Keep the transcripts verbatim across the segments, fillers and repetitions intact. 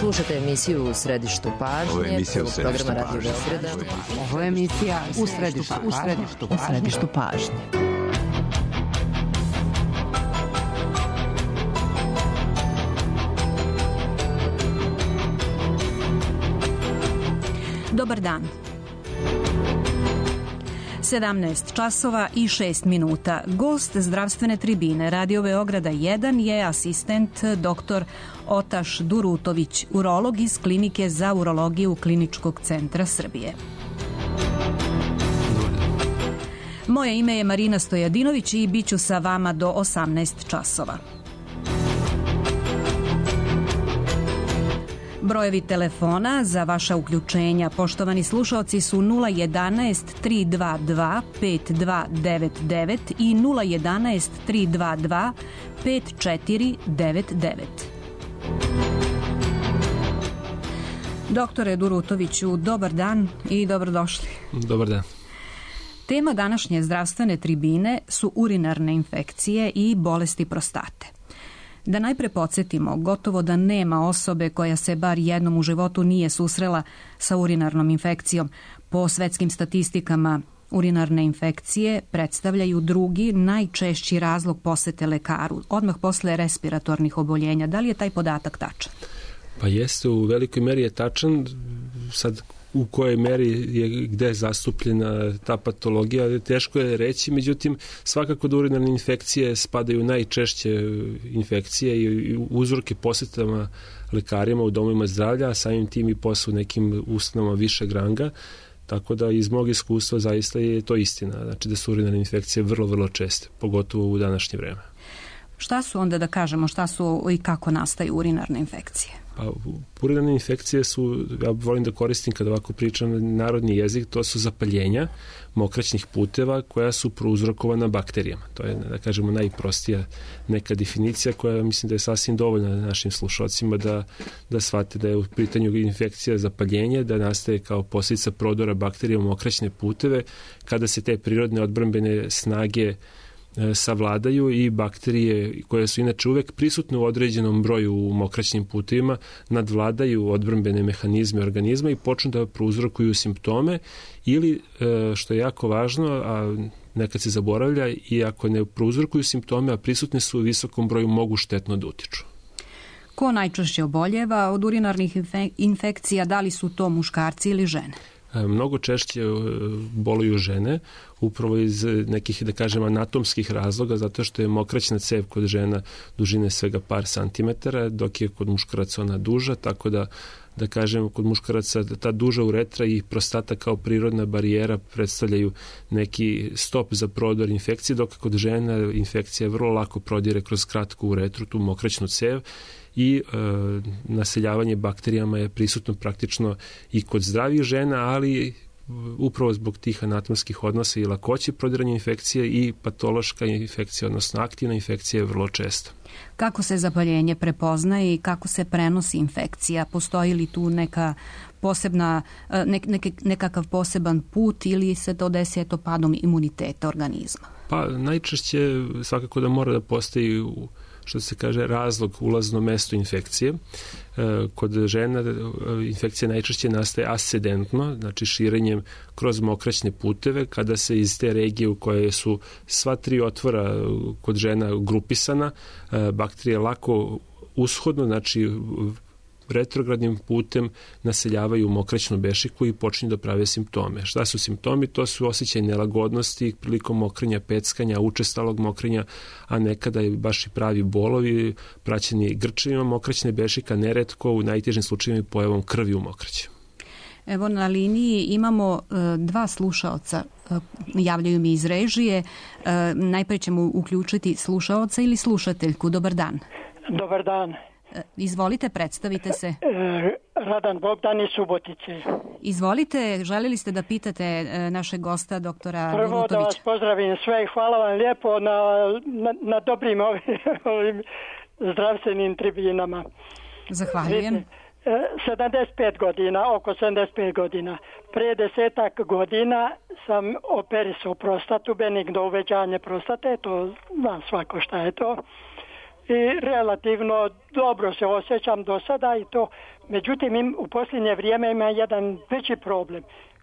Slušate emisiju U središtu pažnje. Ovo je emisija U središtu programa Radio pažnje. Beograda. Ovo je emisija U središtu, u središtu, u središtu pažnje. Dobar dan. sedamnaest časova i šest minuta. Gost zdravstvene tribine Radio Beograda jedan je asistent doktor Otaš Durutović, urolog iz Klinike za urologiju Kliničkog centra Srbije. Moje ime je Marina Stojadinović i bit ću sa vama do osamnaest časova. Brojevi telefona za vaša uključenja, poštovani slušaoci, su nula jedanaest tri dva dva pet dva devet devet i nula jedanaest tri dva dva pet četiri devet devet. Doktore Durutoviću, dobar dan i dobrodošli. Dobar dan. Tema današnje zdravstvene tribine su urinarne infekcije i bolesti prostate. Da najpre podsjetimo, gotovo da nema osobe koja se bar jednom u životu nije susrela sa urinarnom infekcijom. Po svetskim statistikama, urinarne infekcije predstavljaju drugi najčešći razlog posete lekaru, odmah posle respiratornih oboljenja. Da li je taj podatak tačan? Pa jeste, u velikoj meri je tačan. Sad, u kojoj meri je gde je zastupljena ta patologija, teško je reći, međutim svakako da urinarne infekcije spadaju u najčešće infekcije i uzroke posetama lekarima u domovima zdravlja, a samim tim i posle u nekim ustanovama višeg ranga, tako da iz mog iskustva zaista je to istina, znači da su urinarne infekcije vrlo, vrlo česte, pogotovo u današnje vreme. Šta su onda, da kažemo, šta su i kako nastaju urinarne infekcije? Pa, urinarne infekcije su, ja volim da koristim kada ovako pričam narodni jezik, to su zapaljenja mokraćnih puteva koja su prouzrokovana bakterijama. To je, da kažemo, najprostija neka definicija koja mislim da je sasvim dovoljna našim slušalcima da, da shvate da je u pitanju infekcija zapaljenja, da nastaje kao posljedica prodora bakterija u mokraćne puteve, kada se te prirodne odbrambene snage savladaju i bakterije koje su inače uvek prisutne u određenom broju u mokraćnim putevima nadvladaju odbrambene mehanizme organizma i počnu da prouzrokuju simptome ili, što je jako važno, a nekad se zaboravlja, i ako ne prouzrokuju simptome, a prisutne su u visokom broju, mogu štetno da utiču. Ko najčešće oboljeva od urinarnih infekcija, da li su to muškarci ili žene? Mnogo češće boluju žene, upravo iz nekih, da kažem, anatomskih razloga, zato što je mokraćna cev kod žena dužine svega par santimetara, dok je kod muškaraca ona duža, tako da, da kažem, kod muškaraca ta duža uretra i prostata kao prirodna barijera predstavljaju neki stop za prodor infekcije, dok kod žena infekcija vrlo lako prodire kroz kratku uretru, tu mokraćnu cev, i e, naseljavanje bakterijama je prisutno praktično i kod zdravih žena, ali upravo zbog tih anatomskih odnosa i lakoće prodiranja infekcije i patološka infekcija, odnosno aktivna infekcija je vrlo česta. Kako se zapaljenje prepoznaje i kako se prenosi infekcija? Postoji li tu neka posebna, nek, nek, nekakav poseban put ili se to desi eto padom imuniteta organizma? Pa najčešće svakako da mora da postoji, što se kaže, razlog, ulazno mesto infekcije. Kod žena infekcija najčešće nastaje ascendentno, znači širenjem kroz mokraćne puteve, kada se iz te regije u koje su sva tri otvora kod žena grupisana, bakterije lako ushodno, znači retrogradnim putem naseljavaju mokraćnu bešiku i počinju da prave simptome. Šta su simptomi? To su osjećaj nelagodnosti prilikom mokrenja, peckanja, učestalog mokrenja, a nekada je baš i pravi bolovi, praćeni grčevima mokraćne bešika, neretko u najtežim slučajevima pojavom krvi u mokraći. Evo, na liniji imamo e, dva slušaoca, e, javljaju mi iz režije. E, najpre ćemo uključiti slušaoca ili slušateljku. Dobar dan. Dobar dan. Izvolite, predstavite se. Radan Bogdan iz Subotice. Izvolite, želeli ste da pitate našeg gosta, doktora Prvo Durutovića. Prvo da vas pozdravim sve i hvala vam lijepo na, na, na dobrim ovim, ovim zdravstvenim tribinama. Zahvaljujem. sedamdeset pet godina, oko sedamdeset pet godina. Prije desetak godina sam operisao prostatu, benigno uvećanje prostate, to znam svako šta je to. i relativno dobro se osjećam do sada i to. Međutim, im, u posljednje vrijeme ima jedan veći problem.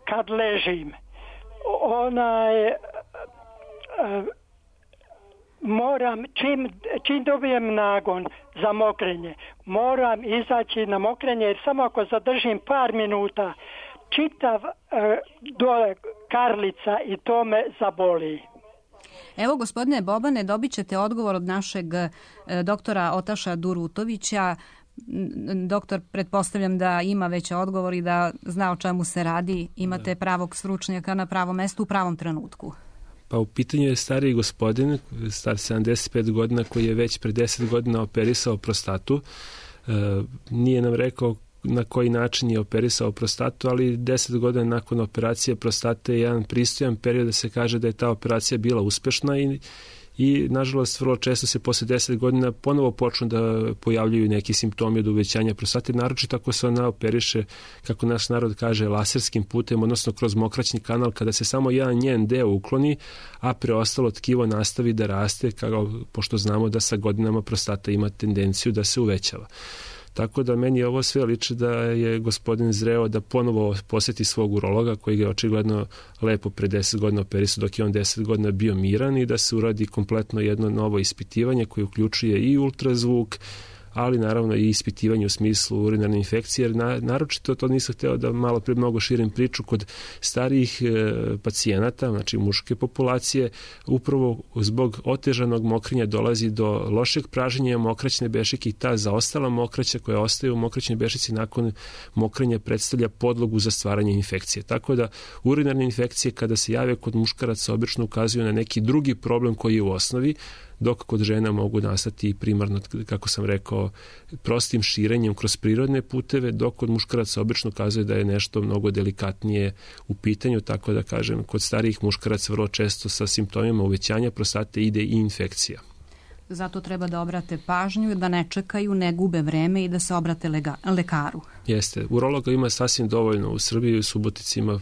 Kad ležim, onaj, e, moram, čim, čim dobijem nagon za mokrenje, moram izaći na mokrenje, jer samo ako zadržim par minuta, čitav e, dole karlica i to me zaboli. Evo, gospodine Bobane, dobit ćete odgovor od našeg e, doktora Otaša Durutovića. Doktor, pretpostavljam da ima već odgovor i da zna o čemu se radi. Imate pravog stručnjaka na pravom mestu u pravom trenutku. Pa u pitanju je stariji gospodin, star sedamdeset pet godina, koji je već pre deset godina operisao prostatu. E, nije nam rekao na koji način je operisao prostatu, ali deset godina nakon operacije prostate je jedan pristojan period da se kaže da je ta operacija bila uspešna i i nažalost vrlo često se posle deset godina ponovo počnu da pojavljuju neki simptomi od uvećanja prostate, naročito ako se ona operiše, kako naš narod kaže, laserskim putem, odnosno kroz mokraćni kanal, kada se samo jedan njen deo ukloni, a preostalo tkivo nastavi da raste, kao, pošto znamo da sa godinama prostata ima tendenciju da se uvećava. Tako da meni ovo sve liči da je gospodin zreo da ponovo poseti svog urologa koji ga je očigledno lepo pre deset godina operisao dok je on deset godina bio miran i da se uradi kompletno jedno novo ispitivanje koje uključuje i ultrazvuk, ali naravno i ispitivanje u smislu urinarne infekcije, jer na, naročito to nisam hteo da malo pre mnogo širim priču kod starijih e, pacijenata, znači muške populacije, upravo zbog otežanog mokrenja dolazi do lošeg praženja mokraćne bešike i ta zaostala mokraća koja ostaje u mokraćnoj bešici nakon mokrenja predstavlja podlogu za stvaranje infekcije. Tako da urinarne infekcije kada se jave kod muškaraca obično ukazuju na neki drugi problem koji je u osnovi, dok kod žena mogu nastati primarno, kako sam rekao, prostim širenjem kroz prirodne puteve, dok kod muškaraca obično kazuje da je nešto mnogo delikatnije u pitanju, tako da kažem, kod starijih muškaraca vrlo često sa simptomima uvećanja prostate ide i infekcija. Zato treba da obrate pažnju, da ne čekaju, ne gube vreme i da se obrate lega, lekaru. Jeste. Urologa ima sasvim dovoljno u Srbiji, u Subotici ima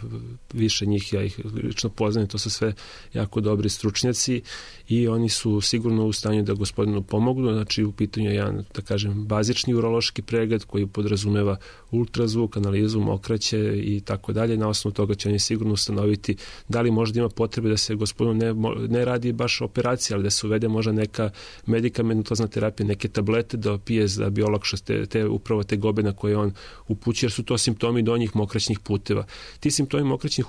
više njih, ja ih lično poznajem, to su sve jako dobri stručnjaci i oni su sigurno u stanju da gospodinu pomognu. Znači u pitanju je jedan, da kažem, bazični urološki pregled koji podrazumeva ultrazvuk, analizu mokraće i tako dalje. Na osnovu toga će oni sigurno ustanoviti da li možda ima potrebe da se gospodinu ne, ne radi baš operacija, ali da se uvede možda neka medikamentozna terapija, neke tablete da pije da bi olakšao te, te, upravo te gobe na koje on upućuje, jer su to simptomi donjih mokraćnih puteva. Ti simptomi mokraćnih,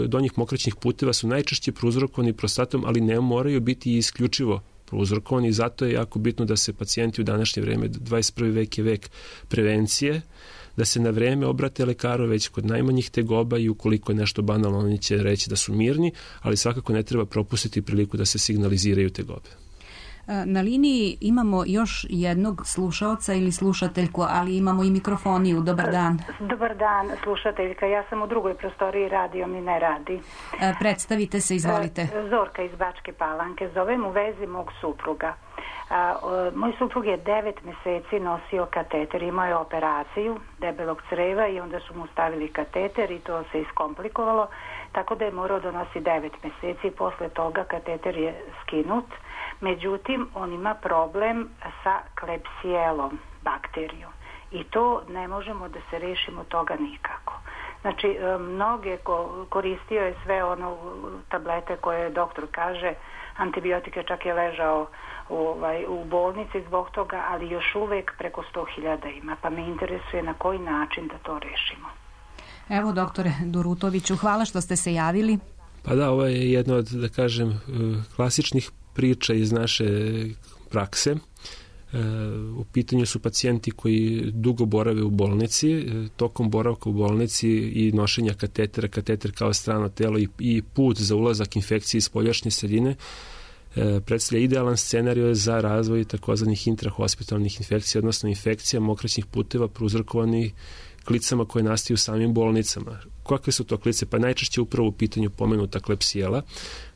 donjih mokraćnih puteva su najčešće prouzrokovani prostatom, ali ne moraju biti isključivo prouzrokovani i zato je jako bitno da se pacijenti u današnje vreme, dvadeset prvi vek je vek prevencije, da se na vreme obrate lekaru već kod najmanjih tegoba i ukoliko je nešto banalno, oni će reći da su mirni, ali svakako ne treba propustiti priliku da se signaliziraju tegobe. Na liniji imamo još jednog slušaoca ili slušateljku, ali imamo i mikrofoniju. Dobar dan. Dobar dan, slušateljka. Ja sam u drugoj prostoriji, radio mi ne radi. Predstavite se, izvolite. Zorka iz Bačke Palanke. Zovem u vezi mog supruga. A, o, moj suprug je devet meseci nosio kateter, imao je operaciju debelog creva i onda su mu stavili kateter i to se iskomplikovalo, tako da je morao da nosi devet meseci. Posle toga kateter je skinut, međutim on ima problem sa Klebsielom bakterijom i to ne možemo da se rešimo toga nikako. Znači, mnoge koristio je sve ono tablete koje doktor kaže, antibiotike, čak je ležao u, ovaj, u bolnici zbog toga, ali još uvek preko sto hiljada ima, pa me interesuje na koji način da to rešimo. Evo, doktore Durutoviću, hvala što ste se javili. Pa da, ovo je jedna od, da kažem, klasičnih priča iz naše prakse. U pitanju su pacijenti koji dugo borave u bolnici, tokom boravka u bolnici i nošenja katetera, kateter kao strano telo i, i put za ulazak infekcije iz spoljašnje sredine predstavlja idealan scenarij za razvoj takozvanih intrahospitalnih infekcija, odnosno infekcija mokraćnih puteva prouzrokovanih klicama koje nastaju u samim bolnicama. Kakve su to klice? Pa najčešće upravo u pitanju pomenuta Klebsiela,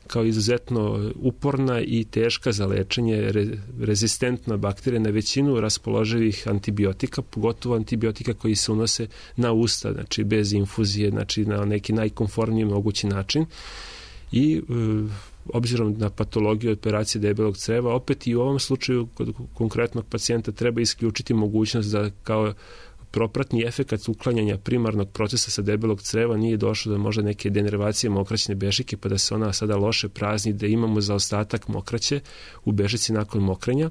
kao izuzetno uporna i teška za lečenje, re, rezistentna bakterija na većinu raspoloživih antibiotika, pogotovo antibiotika koji se unose na usta, znači bez infuzije, znači na neki najkonformniji mogući način. I obzirom na patologiju operacije debelog creva, opet i u ovom slučaju kod konkretnog pacijenta treba isključiti mogućnost da kao propratni efekat uklanjanja primarnog procesa sa debelog creva nije došlo do možda neke denervacije mokraćne bešike, pa da se ona sada loše prazni, da imamo zaostatak mokraće u bežici nakon mokrenja.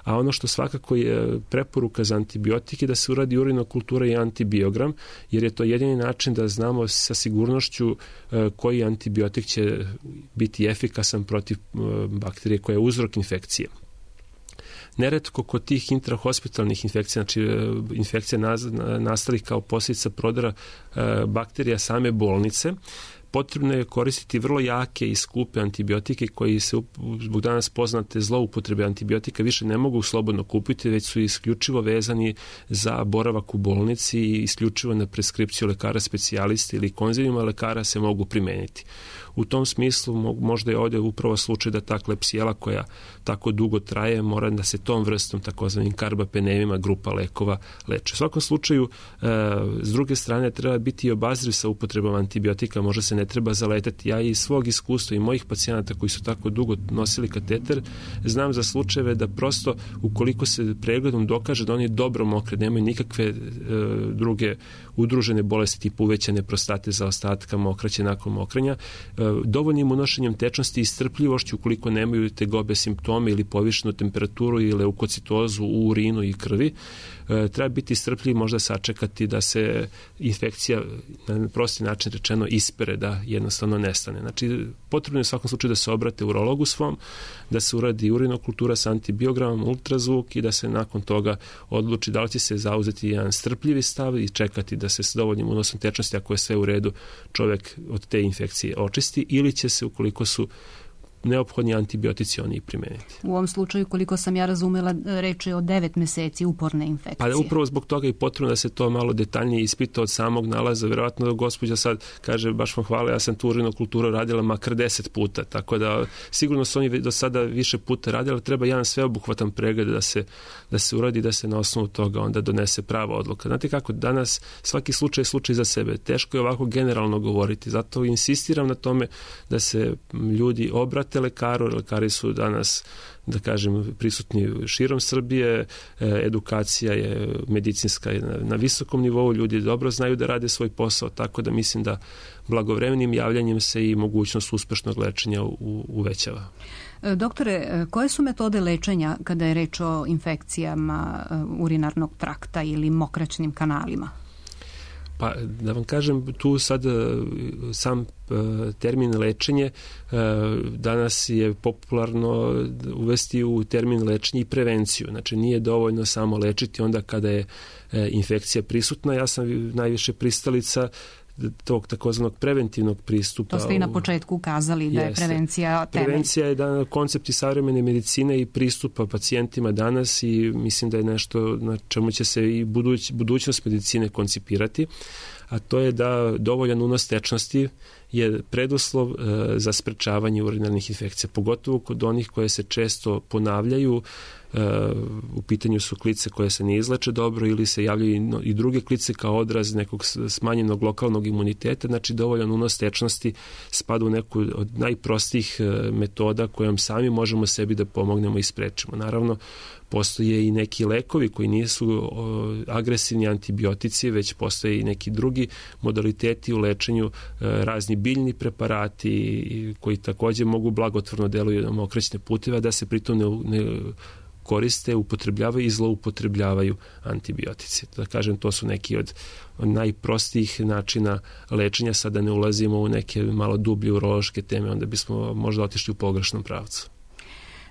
A ono što svakako je preporuka za antibiotike da se uradi urinokultura i antibiogram, jer je to jedini način da znamo sa sigurnošću koji antibiotik će biti efikasan protiv bakterije koja je uzrok infekcije. Neretko kod tih intrahospitalnih infekcija, znači infekcija nastalih kao posljedica prodora bakterija same bolnice, potrebno je koristiti vrlo jake i skupe antibiotike koji se zbog danas poznate zloupotrebe antibiotika više ne mogu slobodno kupiti, već su isključivo vezani za boravak u bolnici i isključivo na preskripciju lekara specijalista ili konzilijuma lekara se mogu primeniti. U tom smislu možda je ovdje upravo slučaj da ta klepsijela koja tako dugo traje mora da se tom vrstom takozvanim karbapenemima grupa lekova leče. U svakom slučaju, s druge strane, treba biti i obazriv sa upotrebom antibiotika, možda se ne treba zaletati. Ja iz svog iskustva i mojih pacijenata koji su tako dugo nosili kateter, znam za slučajeve da prosto ukoliko se pregledom dokaže da oni dobro mokre, nemaju nikakve e, druge udružene bolesti tipu uvećane prostate, zaostatka, mokraće nakon mokrenja, e, dovoljnim unošenjem tečnosti i strpljivošću ukoliko nemaju tegobe simptome ili povišenu temperaturu ili leukocitozu u urinu i krvi, e, treba biti strpljiv, možda sačekati da se infekcija na prosti način rečeno ispere, da jednostavno nestane. Znači, potrebno je u svakom slučaju da se obrate urologu svom, da se uradi urinokultura sa antibiogramom, ultrazvuk i da se nakon toga odluči da li će se zauzeti jedan strpljivi stav i čekati da se s dovoljnim unosom tečnosti, ako je sve u redu, čovjek od te infekcije očisti, ili će se, ukoliko su neophodni antibiotici oni i primeniti. U ovom slučaju, koliko sam ja razumela, reč je o devet meseci uporne infekcije. Pa upravo zbog toga je potrebno da se to malo detaljnije ispita od samog nalaza. Verovatno da gospođa sad kaže, baš vam hvala, ja sam tu urinokulturu radila makar deset puta, tako da sigurno su oni do sada više puta radili, ali treba jedan sveobuhvatan pregled da se, da se uradi, da se na osnovu toga onda donese prava odluka. Znate kako, danas svaki slučaj je slučaj za sebe. Teško je ovako generalno govoriti, zato insistiram na tome da se ljudi obrate lekaru, lekari su danas, da kažem, prisutni širom Srbije, edukacija je medicinska je na, na visokom nivou, ljudi dobro znaju da rade svoj posao, tako da mislim da blagovremenim javljanjem se i mogućnost uspešnog lečenja u, uvećava. Doktore, koje su metode lečenja kada je reč o infekcijama urinarnog trakta ili mokraćnim kanalima? Pa da vam kažem, tu sad sam termin lečenje danas je popularno uvesti u termin lečenje i prevenciju. Znači nije dovoljno samo lečiti onda kada je infekcija prisutna. Ja sam najviše pristalica tog takozvanog preventivnog pristupa. To ste i na početku ukazali da je prevencija temelj. Prevencija je da koncepti savremene medicine i pristupa pacijentima danas i mislim da je nešto na čemu će se i buduć, budućnost medicine koncipirati, a to je da dovoljan unos tečnosti je preduslov e, za sprečavanje urinarnih infekcija, pogotovo kod onih koje se često ponavljaju. E, u pitanju su klice koje se ne izleče dobro ili se javljaju i, no, i druge klice kao odraz nekog smanjenog lokalnog imuniteta. Znači dovoljan unos tečnosti spada u neku od najprostijih e, metoda kojom sami možemo sebi da pomognemo i sprečimo. Naravno, postoje i neki lekovi koji nisu o, agresivni antibiotici, već postoje i neki drugi modaliteti u lečenju, e, razni biljni preparati koji također mogu blagotvorno deluju na mokraćne puteve, da se pritom ne, ne koriste, upotrebljavaju i zloupotrebljavaju antibiotici. Da kažem, to su neki od najprostijih načina lečenja, sada ne ulazimo u neke malo dublje urološke teme, onda bismo možda otišli u pogrešnom pravcu.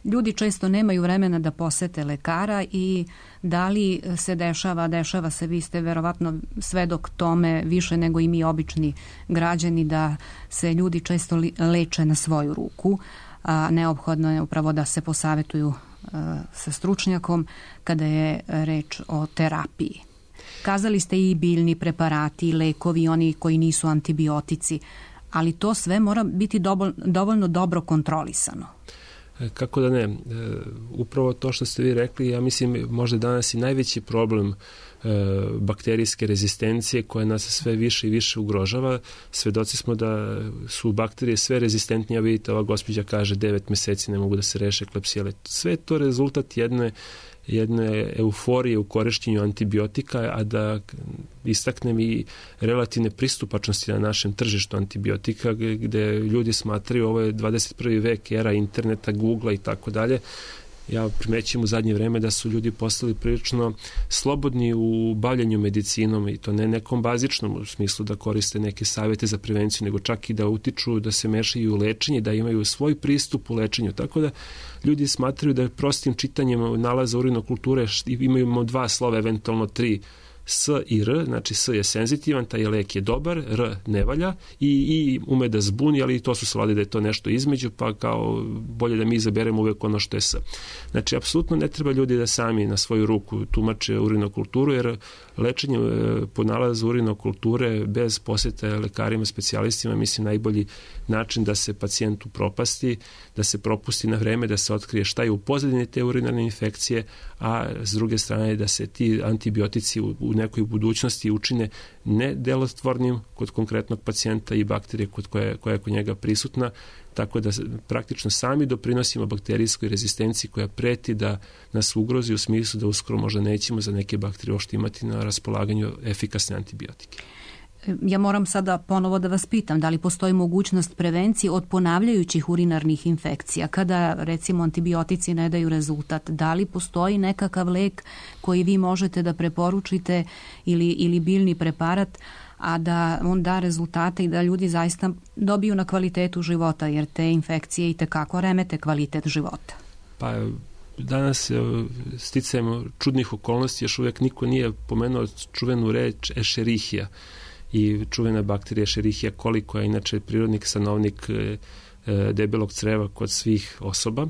Ljudi često nemaju vremena da posete lekara i da li se dešava, dešava se, vi ste verovatno svedok tome više nego i mi obični građani, da se ljudi često leče na svoju ruku, a neophodno je upravo da se posavetuju sa stručnjakom kada je reč o terapiji. Kazali ste i biljni preparati, lekovi, oni koji nisu antibiotici, ali to sve mora biti dovoljno dobro kontrolisano. Kako da ne, upravo to što ste vi rekli, ja mislim možda danas i najveći problem bakterijske rezistencije koja nas sve više i više ugrožava. Svedoci smo da su bakterije sve rezistentnije, vidite, ova gospođa kaže devet meseci ne mogu da se reše Klebsiella. Sve je to rezultat jedne jedne euforije u korišćenju antibiotika, a da istaknem i relativne pristupačnosti na našem tržištu antibiotika, gde ljudi smatraju ovo je dvadeset prvi vek, era interneta, Googlea i tako dalje. Ja primećujem u zadnje vreme da su ljudi postali prilično slobodni u bavljanju medicinom i to ne nekom bazičnom u smislu da koriste neke savjete za prevenciju, nego čak i da utiču, da se mešaju u lečenje, da imaju svoj pristup u lečenju. Tako da ljudi smatraju da prostim čitanjem nalaza urinokulture imamo dva slova, eventualno tri, S i R, znači S je senzitivan, taj lek je dobar, R ne valja i, i ume da zbuni, ali to su slali da je to nešto između, pa kao bolje da mi izaberemo uvek ono što je S. Znači, apsolutno ne treba ljudi da sami na svoju ruku tumače urinokulturu, jer lečenje po nalazu urinokulture bez posjeta lekarima, specijalistima, mislim najbolji način da se pacijentu propasti, da se propusti na vreme, da se otkrije šta je u pozadini te urinarne infekcije, a s druge strane da se ti antibiotici u, u nekoj budućnosti učine nedelotvornim kod konkretnog pacijenta i bakterije kod koje, koja je kod njega prisutna, tako da praktično sami doprinosimo bakterijskoj rezistenciji koja preti da nas ugrozi u smislu da uskoro možda nećemo za neke bakterije uopšte imati na raspolaganju efikasne antibiotike. Ja moram sada ponovo da vas pitam, da li postoji mogućnost prevencije od ponavljajućih urinarnih infekcija? Kada, recimo, antibiotici ne daju rezultat, da li postoji nekakav lek koji vi možete da preporučite ili, ili biljni preparat, a da on da rezultate i da ljudi zaista dobiju na kvalitetu života, jer te infekcije i tekako remete kvalitet života? Pa danas sticajem čudnih okolnosti još uvijek niko nije pomenuo čuvenu reč Escherichia i čuvena bakterija Escherichia coli, koja je inače prirodni stanovnik debelog creva kod svih osoba,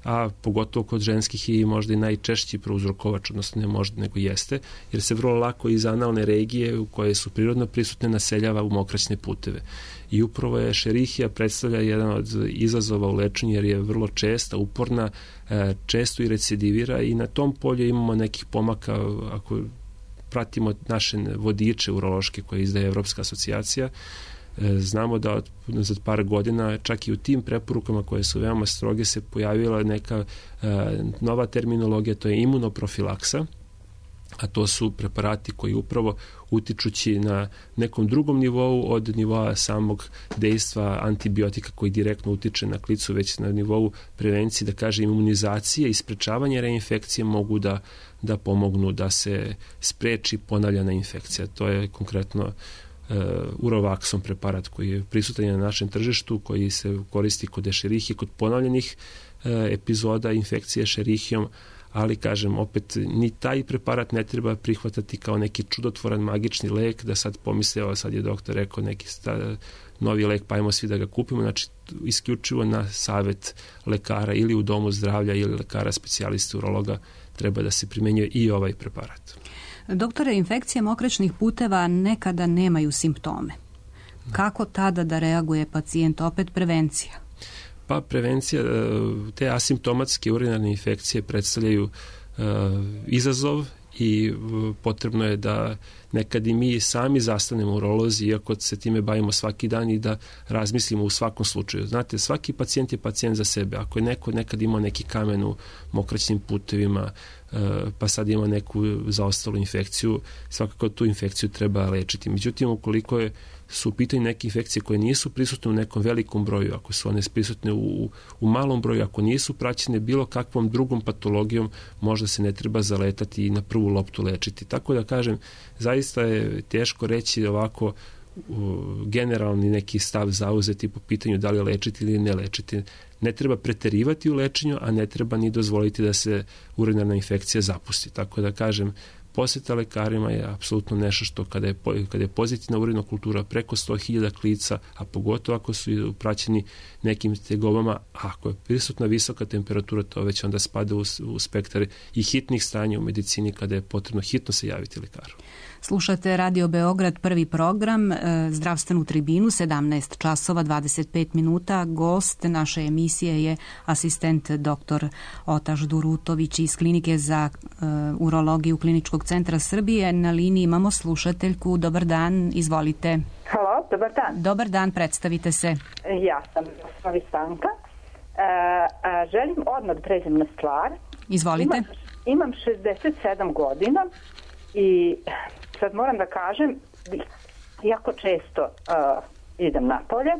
a pogotovo kod ženskih i možda i najčešći prouzrokovač, odnosno ne možda nego jeste, jer se vrlo lako iz analne regije u koje su prirodno prisutne naseljava u mokraćne puteve. I upravo je Escherichia predstavlja jedan od izazova u lečenju jer je vrlo česta, uporna, često i recidivira i na tom polju imamo nekih pomaka ako pratimo naše vodiče urološke koje izdaje Evropska asocijacija. Znamo da od, za par godina čak i u tim preporukama koje su veoma stroge se pojavila neka e, nova terminologija, to je imunoprofilaksa, a to su preparati koji upravo utičući na nekom drugom nivou od nivoa samog dejstva antibiotika koji direktno utiče na klicu, već na nivou prevencije, da kaže imunizacije i sprečavanje reinfekcije mogu da, da pomognu da se spreči ponavljana infekcija. To je konkretno uh, Urovaxon preparat koji je prisutan na našem tržištu, koji se koristi kod Escherichije, kod ponavljanih uh, epizoda infekcije Escherichijom, ali kažem opet ni taj preparat ne treba prihvatati kao neki čudotvoran magični lek da sad pomisle, evo sad je doktor rekao neki sta, novi lek pa ajmo svi da ga kupimo, znači isključivo na savet lekara ili u domu zdravlja ili lekara specijalista urologa treba da se primenjuje i ovaj preparat. Doktore, infekcije mokraćnih puteva nekada nemaju simptome. Kako tada da reaguje pacijent? Opet prevencija. Pa prevencija, te asimptomatske urinarne infekcije predstavljaju uh, izazov i potrebno je da nekad i mi sami zastanemo urolozi, iako se time bavimo svaki dan i da razmislimo u svakom slučaju. Znate, svaki pacijent je pacijent za sebe. Ako je neko nekad imao neki kamen u mokraćnim putevima, pa sad ima neku zaostalu infekciju, svakako tu infekciju treba lečiti. Međutim, ukoliko je, su u pitanju neke infekcije koje nisu prisutne u nekom velikom broju, ako su one prisutne u, u malom broju, ako nisu praćene bilo kakvom drugom patologijom, možda se ne treba zaletati i na prvu loptu lečiti. Tako da kažem, zaista je teško reći ovako generalni neki stav zauzeti po pitanju da li lečiti ili ne lečiti. Ne treba preterivati u lečenju, a ne treba ni dozvoliti da se urinarna infekcija zapusti. Tako da kažem, posjeta lekarima je apsolutno nešto što kada je, kada je pozitivna urinokultura preko sto hiljada klica, a pogotovo ako su praćeni nekim tegobama, a ako je prisutna visoka temperatura, to već onda spada u, u spektar i hitnih stanja u medicini kada je potrebno hitno se javiti lekaru. Slušate Radio Beograd, prvi program, zdravstvenu tribinu, sedamnaest časova dvadeset pet minuta. Gost naše emisije je asistent doktor Otaš Durutović iz Klinike za uh, urologiju Kliničkog centra Srbije. Na liniji imamo slušateljku. Dobar dan, izvolite. Halo, dobar dan. Dobar dan, predstavite se. Ja sam Osnovi Stanka. E, a, želim odmah da pređem na stvar. Izvolite. Imam, imam šezdeset sedam godina i sad moram da kažem, jako često uh, idem napolje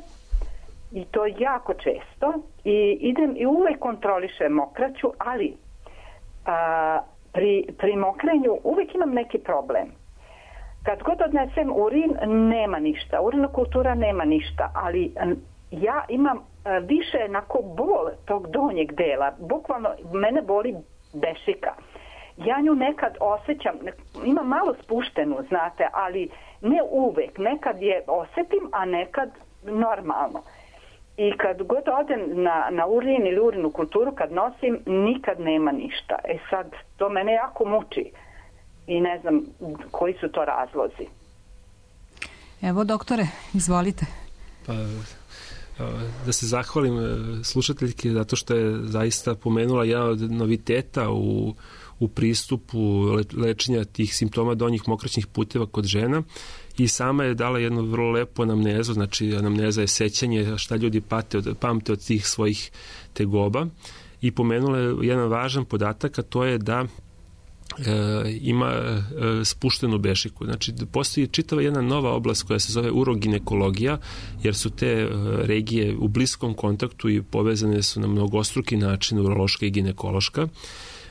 i to jako često i idem i uvek kontrolišem mokraću, ali uh, pri, pri mokrenju uvek imam neki problem. Kad god odnesem urin, nema ništa, urinokultura nema ništa, ali ja imam uh, više onako bol tog donjeg dela, bukvalno mene boli bešika. Ja nju nekad osjećam, ima malo spuštenu, znate, ali ne uvek. Nekad je osjetim, a nekad normalno. I kad god odem na, na urin ili urinu kulturu, kad nosim, nikad nema ništa. E sad, to mene jako muči i ne znam koji su to razlozi. Evo, doktore, izvolite. Pa, da se zahvalim slušateljki zato što je zaista pomenula jedan od noviteta u u pristupu lečenja tih simptoma donjih mokraćnih puteva kod žena i sama je dala jednu vrlo lepu anamnezu, znači anamneza je sećanje šta ljudi pate od, pamte od tih svojih tegoba i pomenula je jedan važan podatak, a to je da E, ima e, spuštenu bešiku. Znači, postoji čitava jedna nova oblast koja se zove uroginekologija, jer su te e, regije u bliskom kontaktu i povezane su na mnogostruki način, urološka i ginekološka,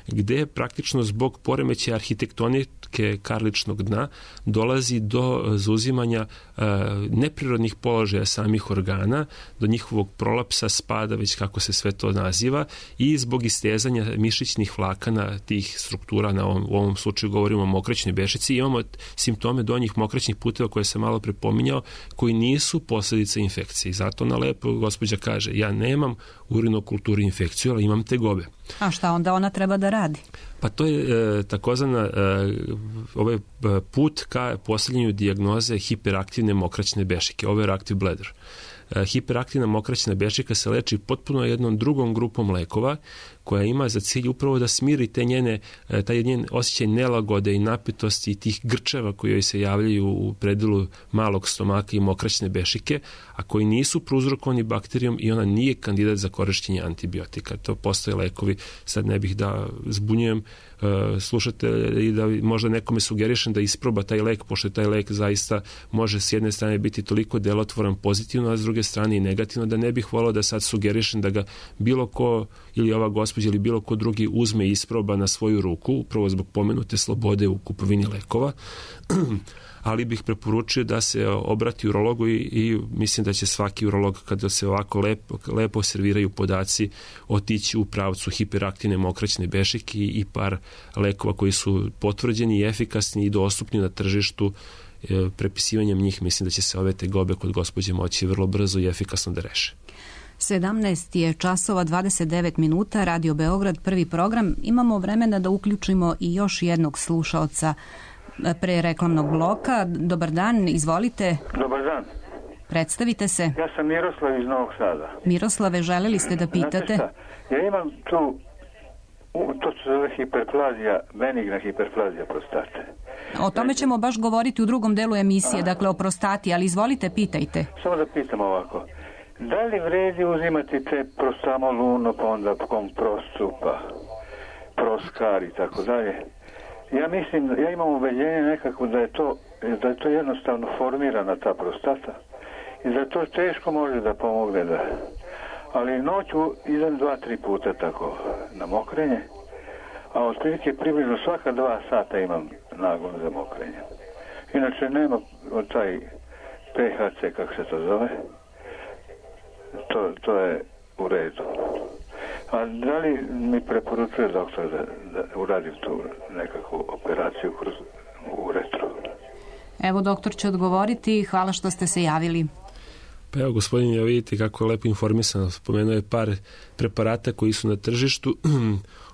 gde praktično zbog poremećaja arhitektonike karličnog dna dolazi do zauzimanja e, neprirodnih položaja samih organa, do njihovog prolapsa, spada, već kako se sve to naziva, i zbog istezanja mišićnih vlakana tih struktura, na ovom, u ovom slučaju govorimo o mokraćnoj bešici, imamo simptome donjih mokraćnih puteva koje sam malo prepominjao, koji nisu posledica infekcije. Zato na lepo gospođa kaže, ja nemam urinokulturu infekciju, ali imam tegobe. A šta onda ona treba da radi? Pa to je e, takozvana e, ovaj put ka postavljanju dijagnoze hiperaktivne mokraćne bešike, overactive bladder. E, hiperaktivna mokraćna bešika se leči potpuno jednom drugom grupom lekova koja ima za cilj upravo da smiri te njene, taj njen osjećaj nelagode i napetosti i tih grčeva koji joj se javljaju u predelu malog stomaka i mokraćne bešike, a koji nisu prouzrokovani bakterijom i ona nije kandidat za korišćenje antibiotika. To postoje lekovi, sad ne bih da zbunjujem uh, slušatelje i da možda nekome sugerišem da isproba taj lek, pošto taj lek zaista može s jedne strane biti toliko delotvoran pozitivno, a s druge strane i negativno, da ne bih volao da sad sugerišem da ga bilo ko ili ova gospođa ili bilo ko drugi uzme i isproba na svoju ruku, upravo zbog pomenute slobode u kupovini lekova, ali bih preporučio da se obrati urologu i, i mislim da će svaki urolog, kada se ovako lepo, lepo serviraju podaci, otići u pravcu hiperaktivne mokraćne bešike i, i par lekova koji su potvrđeni i efikasni i dostupni na tržištu. E, prepisivanjem njih mislim da će se ove tegobe kod gospođe moći vrlo brzo i efikasno da reše. sedamnaest je časova dvadeset devet minuta, Radio Beograd, prvi program. Imamo vremena da uključimo i još jednog slušaoca pre reklamnog bloka. Dobar dan, izvolite. Dobar dan. Predstavite se. Ja sam Miroslav iz Novog Sada. Miroslave, želeli ste da pitate? Znate šta, ja imam tu, to se zove hiperplazija, benigna hiperplazija prostate. O tome ćemo baš govoriti u drugom delu emisije, Aha. dakle o prostati, ali izvolite, pitajte. Samo da pitam ovako. Da li vredi uzimati te prostamoluno, pa onda komprosu, pa proskar i tako dalje? Ja mislim, ja imam ubeđenje nekako da je to, da je to jednostavno formirana ta prostata i da to teško može da pomogne da... Ali noću idem dva, tri puta tako na mokrenje, a otprilike približno svaka dva sata imam nagon za mokrenje. Inače nema od taj P H C, kako se to zove, to, to je u redu. A da li mi preporučuje doktor da, da uradim tu nekakvu operaciju kroz uretru? Evo, doktor će odgovoriti. Hvala što ste se javili. Pa evo, gospodin, ja vidite kako je lepo informisan. Spomenuo je par preparata koji su na tržištu.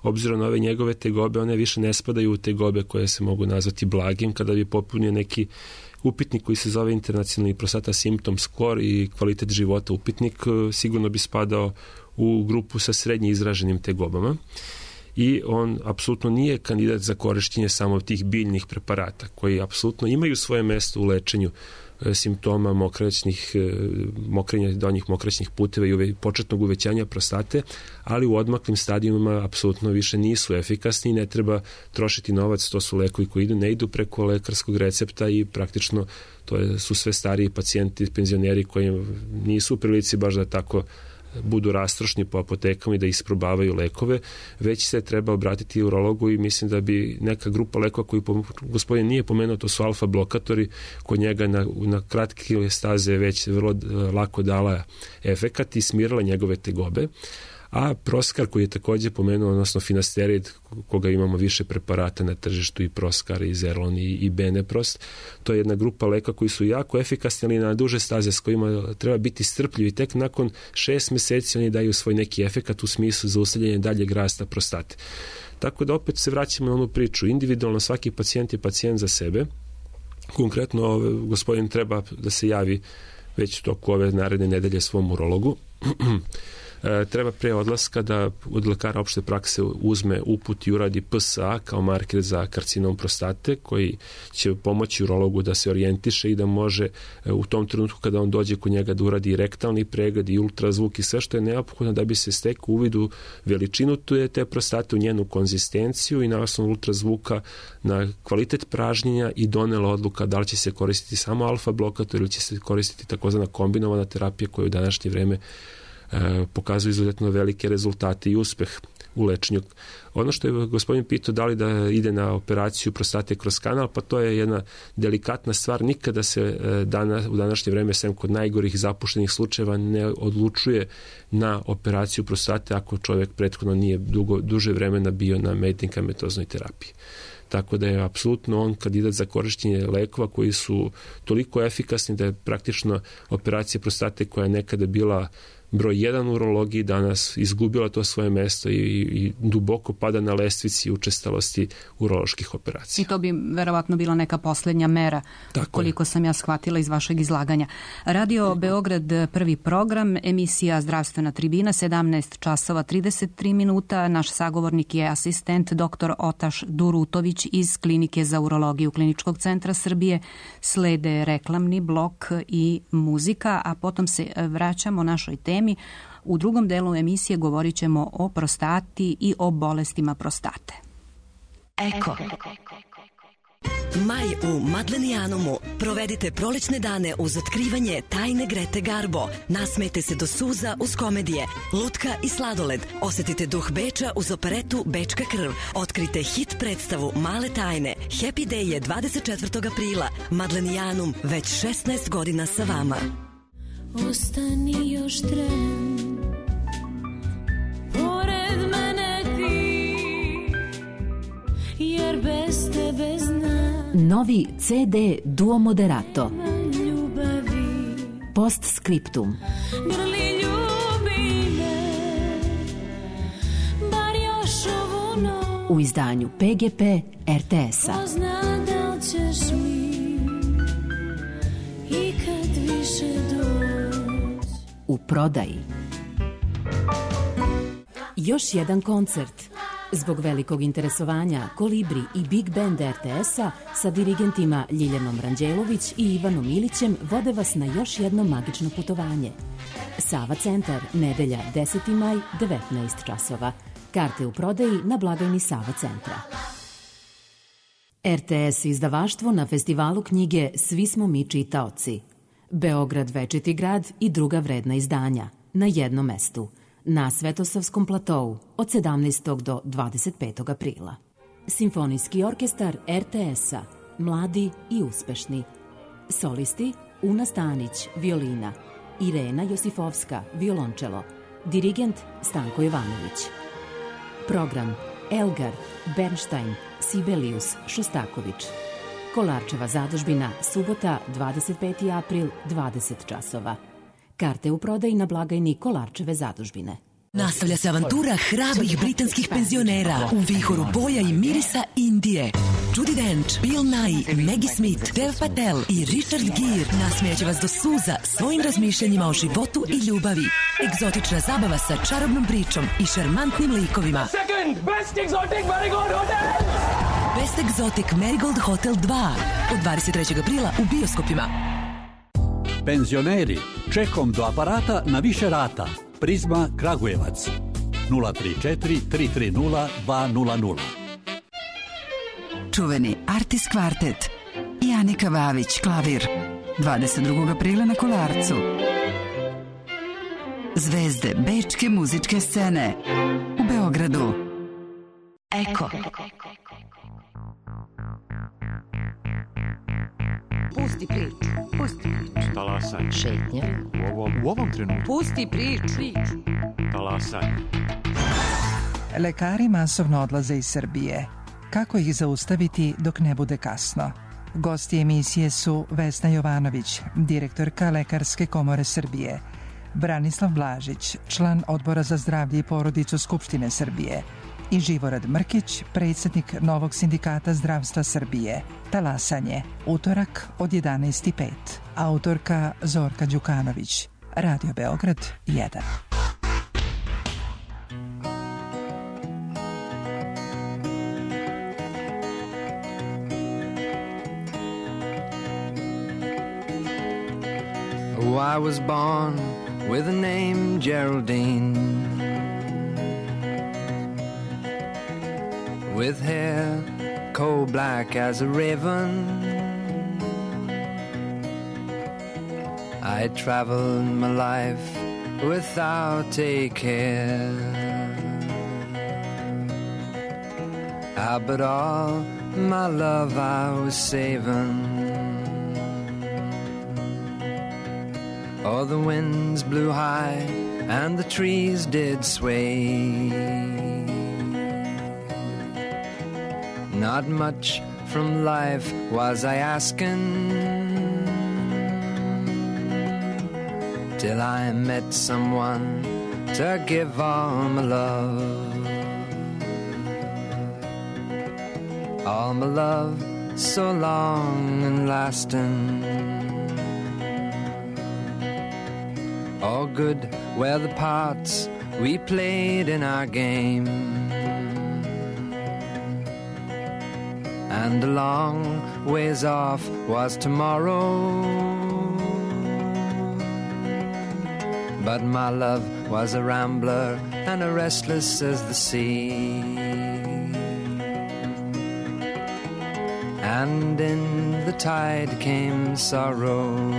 obzirom na ove njegove tegobe, one više ne spadaju u tegobe koje se mogu nazvati blagim, kada bi popunio neki upitnik koji se zove internacionalni prostata symptom score i kvalitet života upitnik, sigurno bi spadao u grupu sa srednje izraženim tegobama. I on apsolutno nije kandidat za korišćenje samo tih biljnih preparata koji apsolutno imaju svoje mesto u lečenju e, simptoma mokraćnih, e, mokrenja donjih mokraćnih puteva i uve, početnog uvećanja prostate, ali u odmaklim stadijumima apsolutno više nisu efikasni i ne treba trošiti novac, to su lekovi koji idu, ne idu preko lekarskog recepta i praktično to je, su sve stariji pacijenti, penzioneri koji nisu u prilici baš da tako budu rastrošni po apotekama i da isprobavaju lekove, već se treba obratiti urologu i mislim da bi neka grupa lekova koju gospodin nije pomenuo, to su alfa blokatori, kod njega na, na kratke staze već vrlo lako dala efekat i smirala njegove tegobe. A Proskar koji je takođe pomenuo, odnosno finasterid, koga imamo više preparata na tržištu, i Proskar, i Zerlon, i, i Beneprost, to je jedna grupa leka koji su jako efikasni, ali na duže staze s kojima treba biti strpljivi. Tek nakon šest meseci oni daju svoj neki efekat u smislu zaustavljanja daljeg rasta prostate. Tako da opet se vraćamo na onu priču. Individualno svaki pacijent je pacijent za sebe. Konkretno gospodin treba da se javi već u toku ove naredne nedelje svom urologu. Treba pre odlaska da od lekara opšte prakse uzme uput i uradi P S A kao marker za karcinom prostate, koji će pomoći urologu da se orijentiše i da može u tom trenutku kada on dođe kod njega da uradi rektalni pregled i ultrazvuk i sve što je neophodno da bi se stekao uvid u veličinu te prostate, u njenu konzistenciju i na osnovu ultrazvuka na kvalitet pražnjenja i donela odluka da li će se koristiti samo alfa blokator ili će se koristiti takozvana kombinovana terapija koja u današnje vreme pokazuju izuzetno velike rezultate i uspeh u lečenju. Ono što je gospodin pitao da li da ide na operaciju prostate kroz kanal, pa to je jedna delikatna stvar. Nikada se dana, u današnje vreme, sem kod najgorih zapuštenih slučajeva, ne odlučuje na operaciju prostate ako čovjek prethodno nije dugo, duže vremena bio na medikamentoznoj terapiji. Tako da je apsolutno on kandidat za korišćenje lekova koji su toliko efikasni da je praktično operacija prostate koja je nekada bila broj jedan u urologiji danas izgubila to svoje mesto i, i duboko pada na lestvici učestalosti uroloških operacija. I to bi verovatno bila neka poslednja mera, tako koliko je. Sam ja shvatila iz vašeg izlaganja. Radio Beograd, prvi program, emisija Zdravstvena tribina, sedamnaest časova trideset tri minuta. Naš sagovornik je asistent doktor Otaš Durutović iz Klinike za urologiju Kliničkog centra Srbije. Slede reklamni blok i muzika, a potom se vraćamo našoj temi. U drugom delu emisije govorit ćemo o prostati i o bolestima prostate. Eko. Maj u Madlenijanumu. Provedite prolećne dane uz otkrivanje tajne Grete Garbo. Nasmejte se do suza uz komedije, lutka i sladoled. Osetite duh Beča uz operetu Bečka krv. Otkrite hit predstavu Male tajne. Happy Day je dvadeset četvrtog aprila. Madlenijanum, već šesnaest godina sa vama. Ostani još tren, pored mene ti, jer bez tebe znam. Novi C D Duo Moderato. Ljubavi. Post scriptum. Grli ljubi me, bar još ovu noć. U izdanju P G P R T S-a. Ko zna da li ćeš mi ikad više doći. U prodaji. Još jedan koncert. Zbog velikog interesovanja Kolibri i Big Band R T S-a sa dirigentima Ljiljanom Ranđelović i Ivanom Ilićem vode vas na još jedno magično putovanje. Sava centar, nedelja deseti maj, devetnaest časova. Karte u prodaji na blagajni Sava centra. R T S izdavaštvo na festivalu knjige Svi smo mi čitaoci. Beograd večiti grad i druga vredna izdanja na jednom mestu, na Svetosavskom platou od sedamnaestog do dvadeset petog aprila. Simfonijski orkestar R T S-a, mladi i uspešni. Solisti Una Stanić, violina, Irena Josifovska, violončelo, dirigent Stanko Jovanović. Program Elgar, Bernstein, Sibelius, Šostaković. Kolarčeva zadužbina, subota, dvadeset peti april, dvadeset časova. Karte u prodaji na blagajni Kolarčeve zadužbine. Nastavlja se avantura hrabrih britanskih penzionera u vihoru boja i mirisa Indije. Judi Dench, Bill Nighy, Maggie Smith, Dev Patel i Richard Gere nasmijaće vas do suza svojim razmišljanjima o životu i ljubavi. Egzotična zabava sa čarobnom pričom i šarmantnim likovima. Second Best Exotic Marigold Hotel! Best Exotic Marigold Hotel dva od dvadeset trećeg aprila u bioskopima. Penzioneri, čekom do aparata na više rata. Prizma Kragujevac nula tri četiri tri tri nula dva nula nula. Čuveni Artis Kvartet i Anika Vavić klavir dvadeset drugog aprila na Kolarcu. Zvezde bečke muzičke scene u Beogradu. Eko. Pusti priču. Pusti priču. Talasanje. Šetnja. U ovom, u ovom trenutku. Pusti priču. priču. Talasanje. Lekari masovno odlaze iz Srbije. Kako ih zaustaviti dok ne bude kasno? Gosti emisije su Vesna Jovanović, direktorka Lekarske komore Srbije, Branislav Blažić, član Odbora za zdravlje i porodicu Skupštine Srbije i Živorad Mrkić, predsjednik Novog sindikata zdravstva Srbije. Talasanje, utorak od jedanaest i pet. Autorka Zorka Đukanović. Radio Beograd jedan. Oh, I was born with a name Geraldine, with hair coal black as a raven. I traveled my life without a care, ah, but all my love I was saving. Oh, the winds blew high and the trees did sway. Not much from life was I asking, till I met someone to give all my love. All my love so long and lasting. All good were the parts we played in our game, and a long ways off was tomorrow. But my love was a rambler and a restless as the sea, and in the tide came sorrow.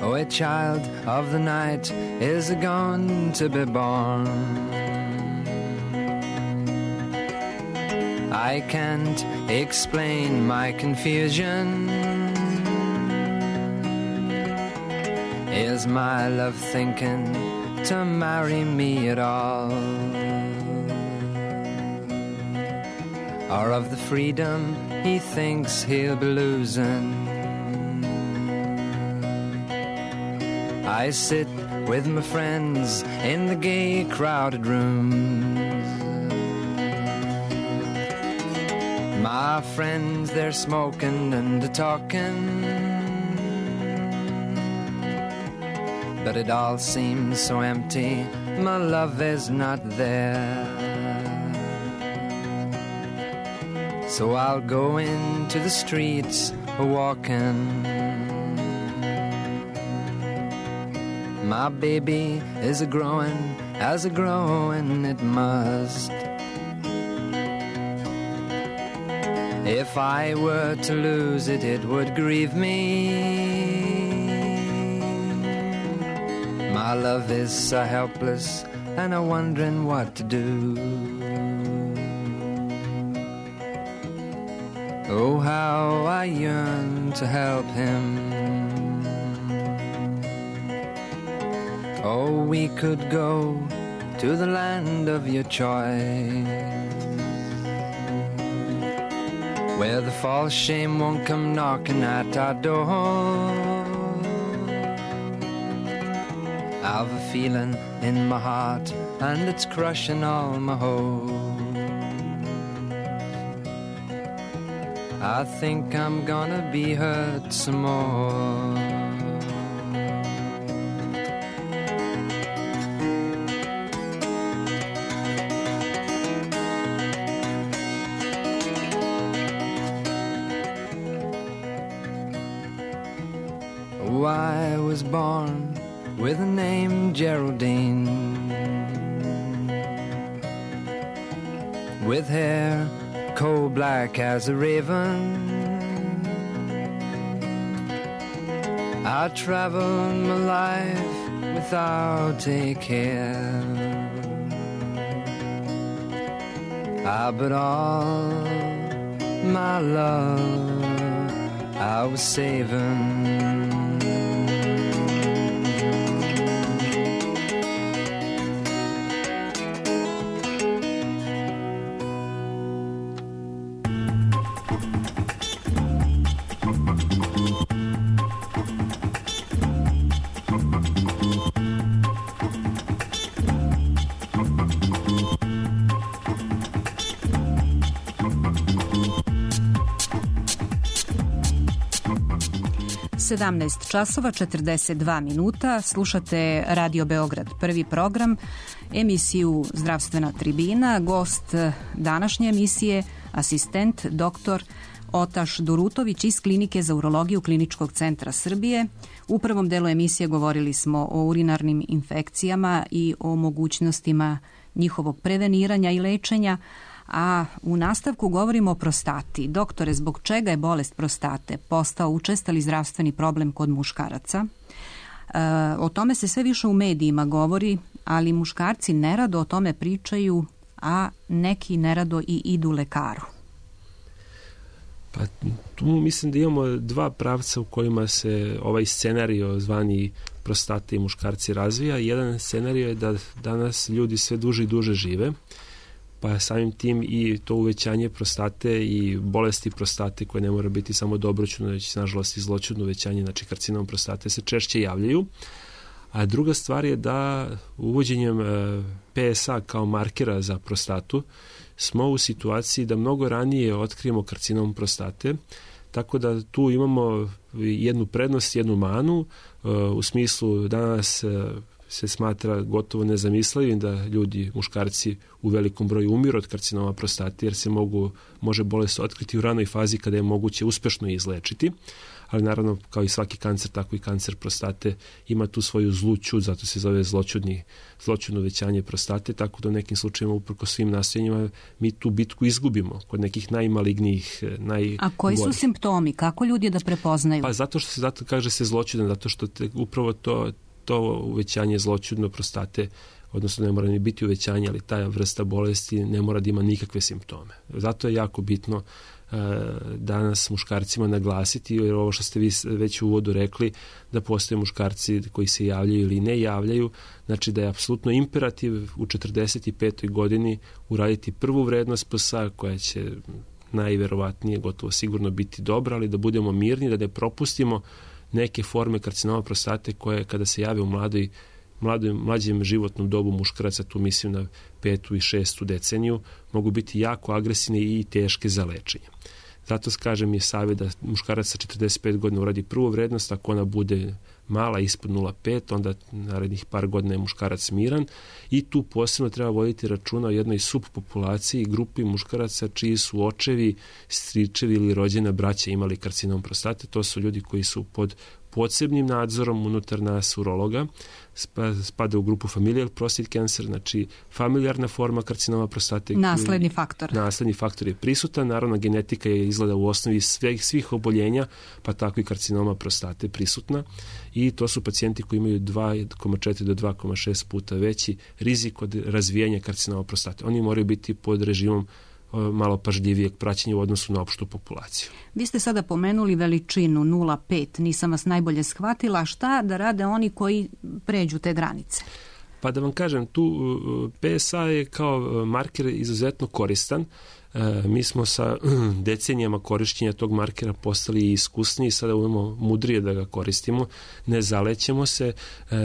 Oh, a child of the night is going to be born. I can't explain my confusion. Is my love thinking to marry me at all? Or of the freedom he thinks he'll be losing? I sit with my friends in the gay crowded rooms. My friends, they're smoking and talking, but it all seems so empty, my love is not there. So I'll go into the streets walking. My baby is a growing, as a growing it must. If I were to lose it, it would grieve me. My love is so helpless, and I'm wondering what to do. Oh, how I yearn to help him. Oh, we could go to the land of your choice, where the false shame won't come knocking at our door. I've a feeling in my heart, and it's crushing all my hope. I think I'm gonna be hurt some more. Oh, I was born with a name Geraldine, with hair coal black as a raven. I traveled my life without a care. Ah, but all my love I was saving. sedamnaest časova četrdeset dva minuta, slušate Radio Beograd, prvi program, emisiju Zdravstvena tribina. Gost današnje emisije, asistent doktor Otaš Durutović iz Klinike za urologiju Kliničkog centra Srbije. U prvom delu emisije govorili smo o urinarnim infekcijama i o mogućnostima njihovog preveniranja i lečenja, a u nastavku govorimo o prostati. Doktore, zbog čega je bolest prostate postao učestali zdravstveni problem kod muškaraca? E, o tome se sve više u medijima govori, ali muškarci nerado o tome pričaju, a neki nerado i idu lekaru. Pa tu mislim da imamo dva pravca u kojima se ovaj scenario zvani prostate i muškarci razvija. Jedan scenario je da danas ljudi sve duže i duže žive, pa samim tim i to uvećanje prostate i bolesti prostate koje ne mora biti samo dobroćudno, već nažalost i zloćudno uvećanje, znači karcinom prostate se češće javljaju. A druga stvar je da uvođenjem P S A kao markera za prostatu smo u situaciji da mnogo ranije otkrijemo karcinom prostate, tako da tu imamo jednu prednost, jednu manu, u smislu danas se smatra gotovo nezamislivim da ljudi, muškarci u velikom broju umiru od karcinoma prostate, jer se mogu, može bolest otkriti u ranoj fazi kada je moguće uspešno izlečiti, ali naravno kao i svaki kancer, tako i kancer prostate ima tu svoju zlu ćud, zato se zove zloćudni, zloćudno uvećanje prostate, tako da u nekim slučajima uprko svim nastojanjima mi tu bitku izgubimo kod nekih najmalignijih, najgorih. A koji su simptomi? Kako ljudi da prepoznaju? Pa zato što se, zato kaže se zloćudan, zato što te, upravo to to uvećanje zloćudno prostate, odnosno ne mora ni biti uvećanje, ali ta vrsta bolesti ne mora da ima nikakve simptome. Zato je jako bitno uh, danas muškarcima naglasiti, jer ovo što ste vi već u uvodu rekli, da postoje muškarci koji se javljaju ili ne javljaju, znači da je apsolutno imperativ u četrdeset petoj godini uraditi prvu vrednost P S A koja će najverovatnije gotovo sigurno biti dobra, ali da budemo mirni, da ne propustimo neke forme karcinoma prostate koje kada se jave u mladoj, mladoj, mlađem životnom dobu muškaraca, tu mislim na petu i šestu deceniju, mogu biti jako agresivne i teške za lečenje. Zato kažem je savjet da muškarac sa četrdeset pet godina uradi prvu vrednost, ako ona bude mala ispod nula zarez pet, onda narednih par godina je muškarac miran i tu posebno treba voditi računa o jednoj subpopulaciji, grupi muškaraca čiji su očevi, stričevi ili rođena braća imali karcinom prostate. To su ljudi koji su pod posebnim nadzorom unutar nas urologa, spada u grupu familial prostate cancer, znači familijarna forma karcinoma prostate. Nasledni faktor. Nasledni faktor je prisutan, naravno genetika je izgleda u osnovi svih, svih oboljenja, pa tako i karcinoma prostate prisutna i to su pacijenti koji imaju dva zarez četiri do dva zarez šest puta veći rizik od razvijanja karcinoma prostate. Oni moraju biti pod režimom malo pažljivijeg praćenja u odnosu na opštu populaciju. Vi ste sada pomenuli veličinu nula zarez pet, nisam vas najbolje shvatila. Šta da rade oni koji pređu te granice? Pa da vam kažem, tu P S A je kao marker izuzetno koristan. Mi smo sa decenijama korišćenja tog markera postali iskusniji i sada umemo mudrije da ga koristimo. Ne zalećemo se.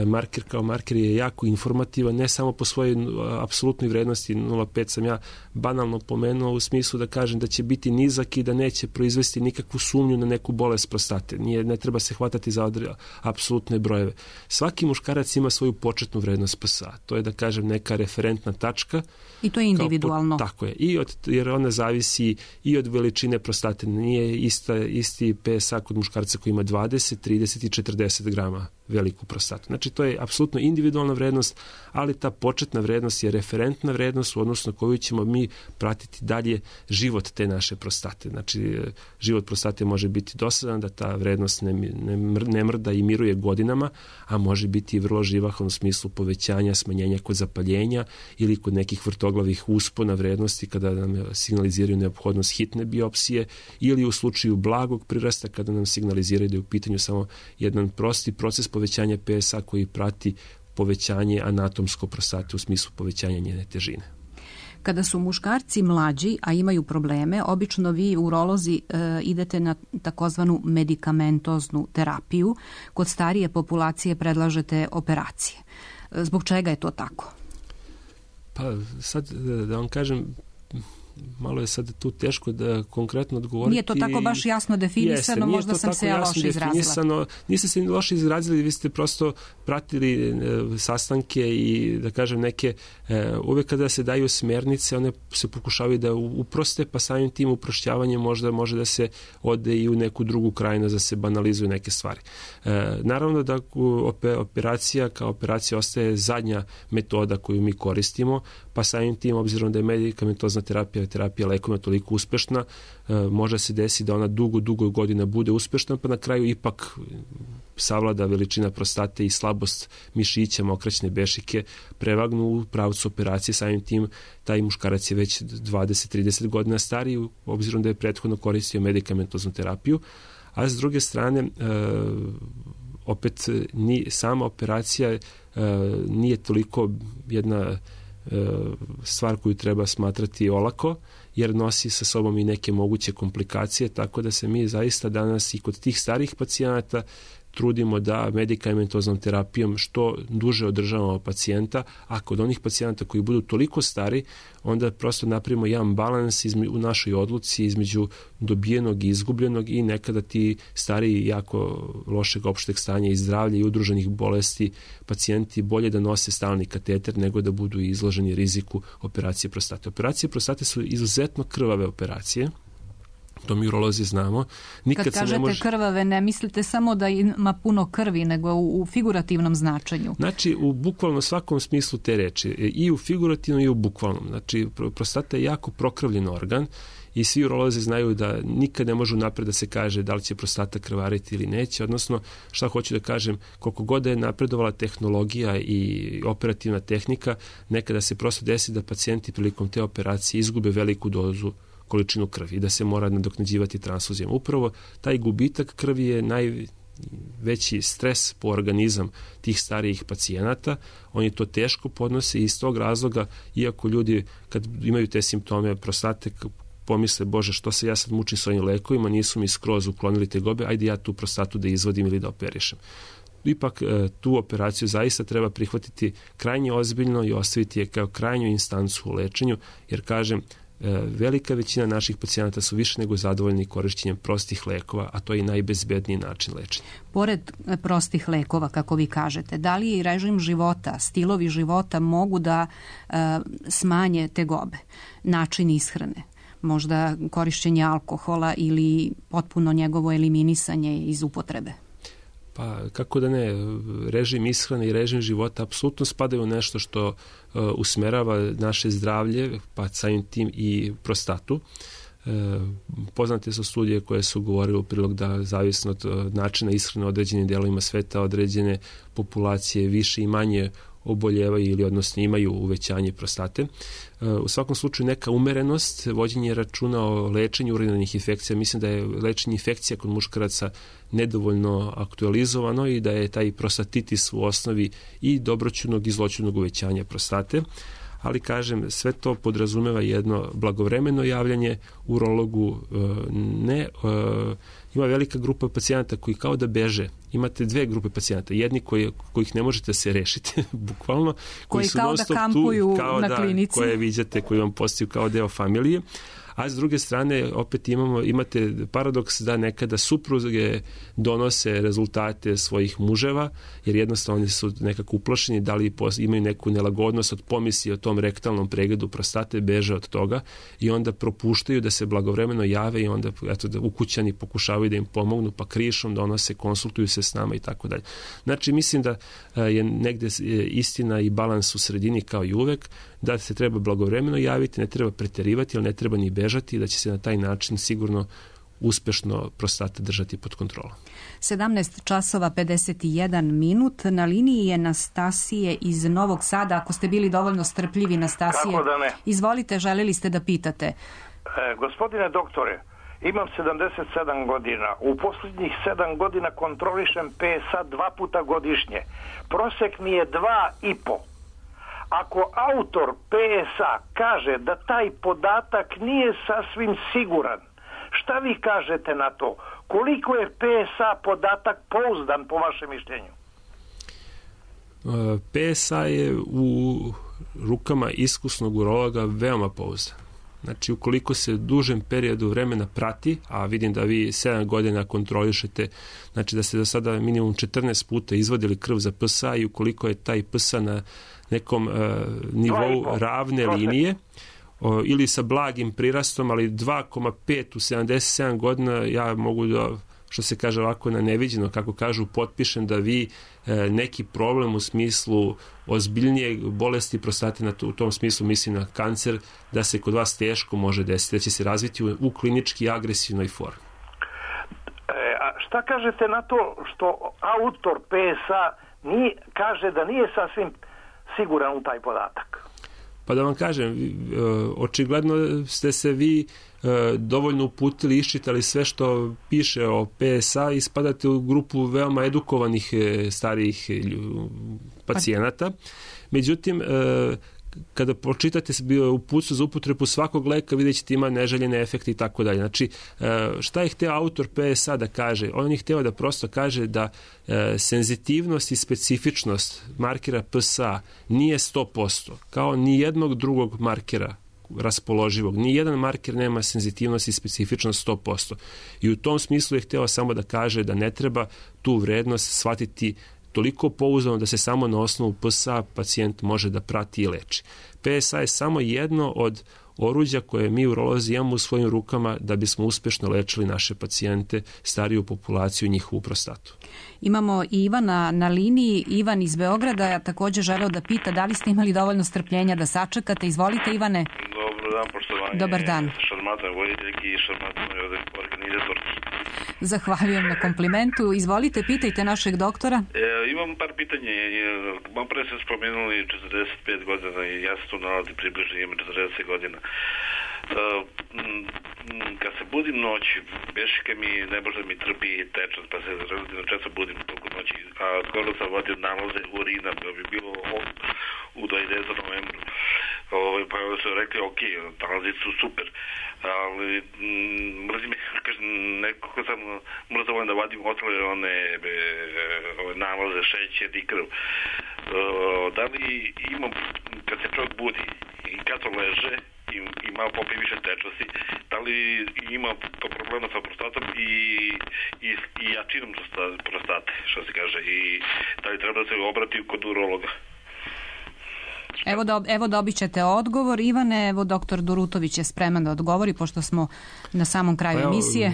Marker kao marker je jako informativan, ne samo po svojoj apsolutnoj vrednosti. nula zarez pet sam ja banalno pomenuo u smislu da kažem da će biti nizak i da neće proizvesti nikakvu sumnju na neku bolest prostate. Nije, ne treba se hvatati za odre, apsolutne brojeve. Svaki muškarac ima svoju početnu vrednost P S A. To je, da kažem, neka referentna tačka. I to je individualno. Po, tako je. I od, jer ona zavisi i od veličine prostate. Nije ista, isti P S A kod muškarca koji ima dvadeset, trideset i četrdeset grama veliku prostatu. Znači, to je apsolutno individualna vrednost, ali ta početna vrednost je referentna vrednost u odnosu na koju ćemo mi pratiti dalje život te naše prostate. Znači, život prostate može biti dosadan, da ta vrednost ne, ne, ne mrda i miruje godinama, a može biti i vrlo živahan u smislu povećanja, smanjenja kod zapaljenja ili kod nekih vrtoglavih uspona vrednosti kada nam signaliziraju neophodnost hitne biopsije ili u slučaju blagog prirasta kada nam signaliziraju da je u pitanju samo jedan prosti proces povećanja P S A koji prati povećanje anatomsko prostate u smislu povećanja njene težine. Kada su muškarci mlađi, a imaju probleme, obično vi urolozi e, idete na takozvanu medikamentoznu terapiju. Kod starije populacije predlažete operacije. Zbog čega je to tako? Pa sad da vam kažem, malo je sad tu teško da konkretno odgovoriti. Nije to tako baš jasno definisano, Jeste, možda sam se ja loše izrazila. Niste se loše izrazili, vi ste prosto pratili e, sastanke i da kažem neke, e, uvek kada se daju smernice, one se pokušavaju da uproste, pa samim tim uprošćavanje možda može da se ode i u neku drugu krajinu, da se banalizuju neke stvari. E, naravno da operacija kao operacija ostaje zadnja metoda koju mi koristimo, pa samim tim, obzirom da je medikamentozna terapija, terapija lekovima toliko uspešna, može se desiti da ona dugo, dugo godina bude uspešna, pa na kraju ipak savlada veličina prostate i slabost mišića, mokraćne bešike, prevagnu u pravcu operacije, samim tim taj muškarac je već dvadeset do trideset godina stariji, obzirom da je prethodno koristio medikamentoznu terapiju, a s druge strane, opet ni, sama operacija nije toliko jedna stvar koju treba smatrati olako, jer nosi sa sobom i neke moguće komplikacije, tako da se mi zaista danas i kod tih starih pacijenata trudimo da medikamentoznom terapijom što duže održavamo pacijenta, a kod onih pacijenata koji budu toliko stari, onda prosto napravimo jedan balans izme, u našoj odluci između dobijenog i izgubljenog i nekada ti stari jako lošeg opšteg stanja i zdravlja i udruženih bolesti pacijenti bolje da nose stalni kateter nego da budu izloženi riziku operacije prostate. Operacije prostate su izuzetno krvave operacije. To mi urolozi znamo. Nikad Kad kažete se ne može... krvave, ne mislite samo da ima puno krvi, nego u, u figurativnom značenju. Znači, u bukvalno svakom smislu te reči. I u figurativnom i u bukvalnom. Znači, prostata je jako prokrvljen organ i svi urolozi znaju da nikad ne može napred da se kaže da li će prostata krvariti ili neće, odnosno šta hoću da kažem, koliko god je napredovala tehnologija i operativna tehnika, nekada se prosto desi da pacijenti prilikom te operacije izgube veliku dozu količinu krvi i da se mora nadoknađivati transfuzijom. Upravo taj gubitak krvi je najveći stres po organizam tih starijih pacijenata. Oni to teško podnose i iz tog razloga, iako ljudi kad imaju te simptome prostate, pomisle, Bože, što se ja sad mučim s ovim lekovima, nisu mi skroz uklonili tegobe, ajde ja tu prostatu da izvodim ili da operišem. Ipak tu operaciju zaista treba prihvatiti krajnje ozbiljno i ostaviti je kao krajnju instancu u lečenju, jer kažem, velika većina naših pacijenata su više nego zadovoljni korišćenjem prostih lekova, a to je i najbezbedniji način lečenja. Pored prostih lekova, kako vi kažete, da li i režim života, stilovi života mogu da e, smanje tegobe, način ishrane, možda korišćenje alkohola ili potpuno njegovo eliminisanje iz upotrebe? Pa kako da ne, režim ishrane i režim života apsolutno spadaju u nešto što uh, usmerava naše zdravlje, pa samim tim i prostatu. Uh, poznate su studije koje su govorile u prilog da zavisno od uh, načina ishrane određenim delovima sveta, određene populacije više i manje oboljevaju ili odnosno imaju uvećanje prostate. U svakom slučaju neka umerenost, vođenje računa o lečenju urinarnih infekcija, mislim da je lečenje infekcija kod muškaraca nedovoljno aktualizovano i da je taj prostatitis u osnovi i dobroćudnog i zloćudnog uvećanja prostate. ali kažem, sve to podrazumeva jedno blagovremeno javljanje urologu, ne, ima velika grupa pacijenata koji kao da beže. Imate dve grupe pacijenata, jedni koji, kojih ne možete se rešiti, bukvalno, koji, koji su kao da kampuju tu, kao na da, klinici. Koje viđate, koji vam postaju kao deo familije. A s druge strane, opet imamo, imate paradoks da nekada supruge donose rezultate svojih muževa, jer jednostavno oni su nekako uplašeni, da li imaju neku nelagodnost od pomisli o tom rektalnom pregledu prostate, beže od toga i onda propuštaju da se blagovremeno jave i onda eto, da ukućani pokušavaju da im pomognu, pa krišom donose, konsultuju se s nama i tako dalje. Znači, mislim da je negde istina i balans u sredini kao i uvek, da se treba blagovremeno javiti, ne treba preterivati, ali ne treba ni bežati, da će se na taj način sigurno uspešno prostata držati pod kontrolom. sedamnaest časova pedeset jedan minut. Na liniji je Nastasije iz Novog Sada. Ako ste bili dovoljno strpljivi, Nastasije, kako da ne? Izvolite, želeli ste da pitate. E, gospodine doktore, imam sedamdeset sedam godina. U posljednjih sedam godina kontrolišem P S A dva puta godišnje. Prosek mi je dva i po. Ako autor P S A kaže da taj podatak nije sasvim siguran, šta vi kažete na to? Koliko je P S A podatak pouzdan po vašem mišljenju? P S A je u rukama iskusnog urologa veoma pouzdan. Znači, ukoliko se dužem periodu vremena prati, a vidim da vi sedam godina kontrolišete, znači da ste do sada minimum četrnaest puta izvadili krv za P S A i ukoliko je taj P S A na nekom uh, nivou ravne linije o, ili sa blagim prirastom, ali dva zarez pet u sedamdeset sedam godina, ja mogu da, što se kaže ovako na neviđeno, kako kažu, potpišem da vi e, neki problem u smislu ozbiljnije bolesti prostate, na to, u tom smislu mislim na kancer, da se kod vas teško može desiti, da će se razviti u, u klinički agresivnoj formi. E, a šta kažete na to što autor P S A nije, kaže da nije sasvim siguran u taj podatak? Pa da vam kažem, očigledno ste se vi dovoljno uputili, iščitali sve što piše o P S A i spadate u grupu veoma edukovanih starijih pacijenata. Međutim, kada pročitate uputstvo za upotrebu svakog leka, vidjet ćete ima neželjene efekte i tako dalje. Znači, šta je hteo autor P S A da kaže? On je hteo da prosto kaže da senzitivnost i specifičnost markera P S A nije sto posto, kao ni jednog drugog markera raspoloživog. Ni jedan marker nema senzitivnost i specifičnost sto posto. I u tom smislu je hteo samo da kaže da ne treba tu vrednost shvatiti toliko pouzdano da se samo na osnovu P S A pacijent može da prati i leči. P S A je samo jedno od oruđa koje mi urolozi imamo u svojim rukama da bismo uspešno lečili naše pacijente, stariju populaciju i njihovu prostatu. Imamo i Ivana na liniji. Ivan iz Beograda je također želeo da pita da li ste imali dovoljno strpljenja da sačekate. Izvolite, Ivane. Dobar dan, poštovanje. Dobar dan. Šarmantnoj voditeljki i šarmantnoj organizatorki. Zahvaljujem na komplimentu. Izvolite, pitajte našeg doktora. E, imam par pitanja. Malo pre ste spomenuli četrdeset pet godina i ja se tu nalazi približno, imam četrdeset godina. Uh, kad se budim noći, bešika mi ne može da mi trpi tečan, pa se relativno često budim toliko noći, a skoro sam vodio nalaze urina, da bi bilo u dvadesetom novembru. Ove, pa su rekli, ok, nalazi su super, ali mm, mrzim, kažem, nekako sam mrzovan da vadim ostale one be, ove nalaze, šećer i krv. Uh, da li imam, kad se čovjek budi i kad to leže, i, i malo popije više tečnosti, da li ima problema sa prostatom i, i, i jačinom prostate, što se kaže, i da li treba da se obrati kod urologa? Evo, do, evo dobit ćete odgovor. Ivane, evo doktor Durutović je spreman da odgovori, pošto smo na samom kraju pa emisije.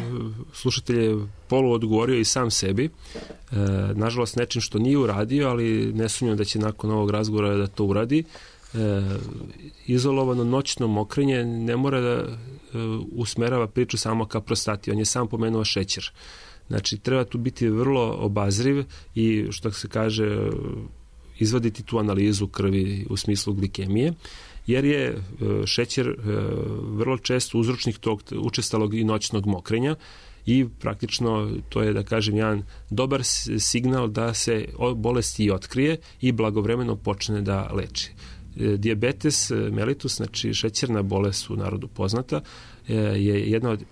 Slušatelj je polu odgovorio i sam sebi. E, nažalost, nečim što nije uradio, ali ne sumnjam da će nakon ovog razgovora da to uradi. E, izolovano noćno mokrenje ne mora da e, usmerava priču samo ka prostati. On je sam pomenuo šećer. Znači, treba tu biti vrlo obazriv i, što se kaže, izvaditi tu analizu krvi u smislu glikemije, jer je šećer vrlo često uzročnik tog učestalog i noćnog mokrenja i praktično to je, da kažem, jedan dobar signal da se bolest i otkrije i blagovremeno počne da leči. Dijabetes mellitus, znači šećerna bolest u narodu poznata, je jedna od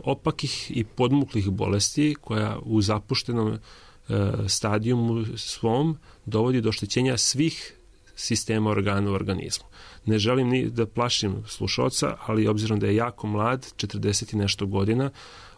opakih i podmuklih bolesti koja u zapuštenom stadijumu svom dovodi do oštećenja svih sistema organa u organizmu. Ne želim ni da plašim slušalca, ali obzirom da je jako mlad, četrdeset i nešto godina,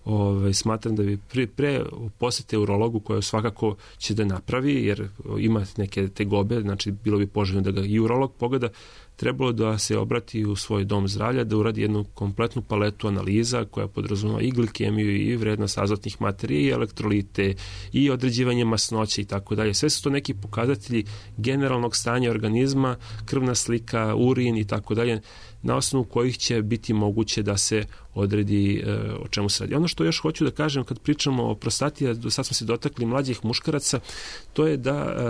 Ove, smatram da bi pre, pre posete urologu koja svakako će da napravi, jer ima neke tegobe, znači bilo bi poželjno da ga i urolog pogleda, trebalo da se obrati u svoj dom zdravlja, da uradi jednu kompletnu paletu analiza koja podrazumeva i glikemiju i vrednost azotnih materija i elektrolite i određivanje masnoće i tako dalje. Sve su to neki pokazatelji generalnog stanja organizma, krvna slika, urin i tako dalje, na osnovu kojih će biti moguće da se odredi e, o čemu se radi. Ono što još hoću da kažem kad pričamo o prostati, a do sad smo se dotakli mlađih muškaraca, to je da e,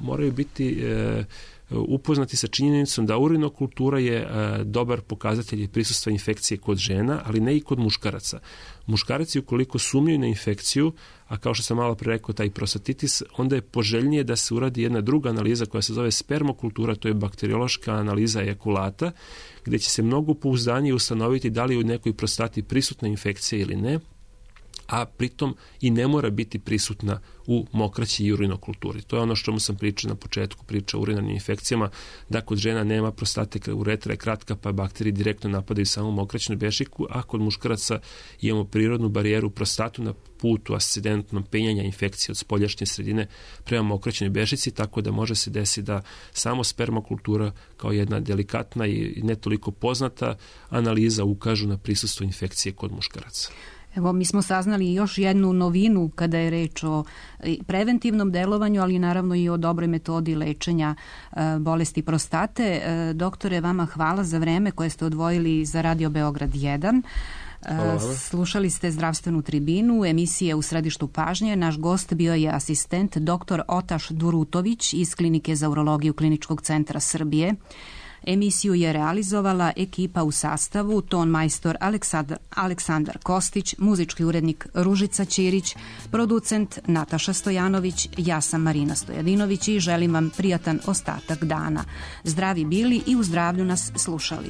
moraju biti e, upoznati sa činjenicom da urinokultura je e, dobar pokazatelj prisustva infekcije kod žena, ali ne i kod muškaraca. Muškarci ukoliko sumnjaju na infekciju, a kao što sam malo pre rekao taj prostatitis, onda je poželjnije da se uradi jedna druga analiza koja se zove spermokultura, to je bakteriološka analiza ejakulata, gde će se mnogo pouzdanije ustanoviti da li je u nekoj prostati prisutna infekcija ili ne, a pritom i ne mora biti prisutna u mokraći i urinokulturi. To je ono što mu sam pričao na početku, priča o urinarnim infekcijama, da kod žena nema prostate, uretra je kratka, pa bakterije direktno napadaju samo mokraćnu bešiku, a kod muškaraca imamo prirodnu barijeru prostatu na putu ascendentnom penjanja infekcije od spoljašnje sredine prema mokraćnoj bešici, tako da može se desiti da samo spermokultura kao jedna delikatna i ne toliko poznata analiza ukažu na prisustvo infekcije kod muškaraca. Evo, mi smo saznali još jednu novinu kada je reč o preventivnom delovanju, ali naravno i o dobroj metodi lečenja bolesti prostate. Doktore, vama hvala za vreme koje ste odvojili za Radio Beograd jedan. Slušali ste Zdravstvenu tribinu, emisije U središtu pažnje. Naš gost bio je asistent doktor Otaš Durutović iz Klinike za urologiju Kliničkog centra Srbije. Emisiju je realizovala ekipa u sastavu ton majstor Aleksandar, Aleksandar Kostić, muzički urednik Ružica Ćirić, producent Nataša Stojanović, ja sam Marina Stojadinović i želim vam prijatan ostatak dana. Zdravi bili i u zdravlju nas slušali.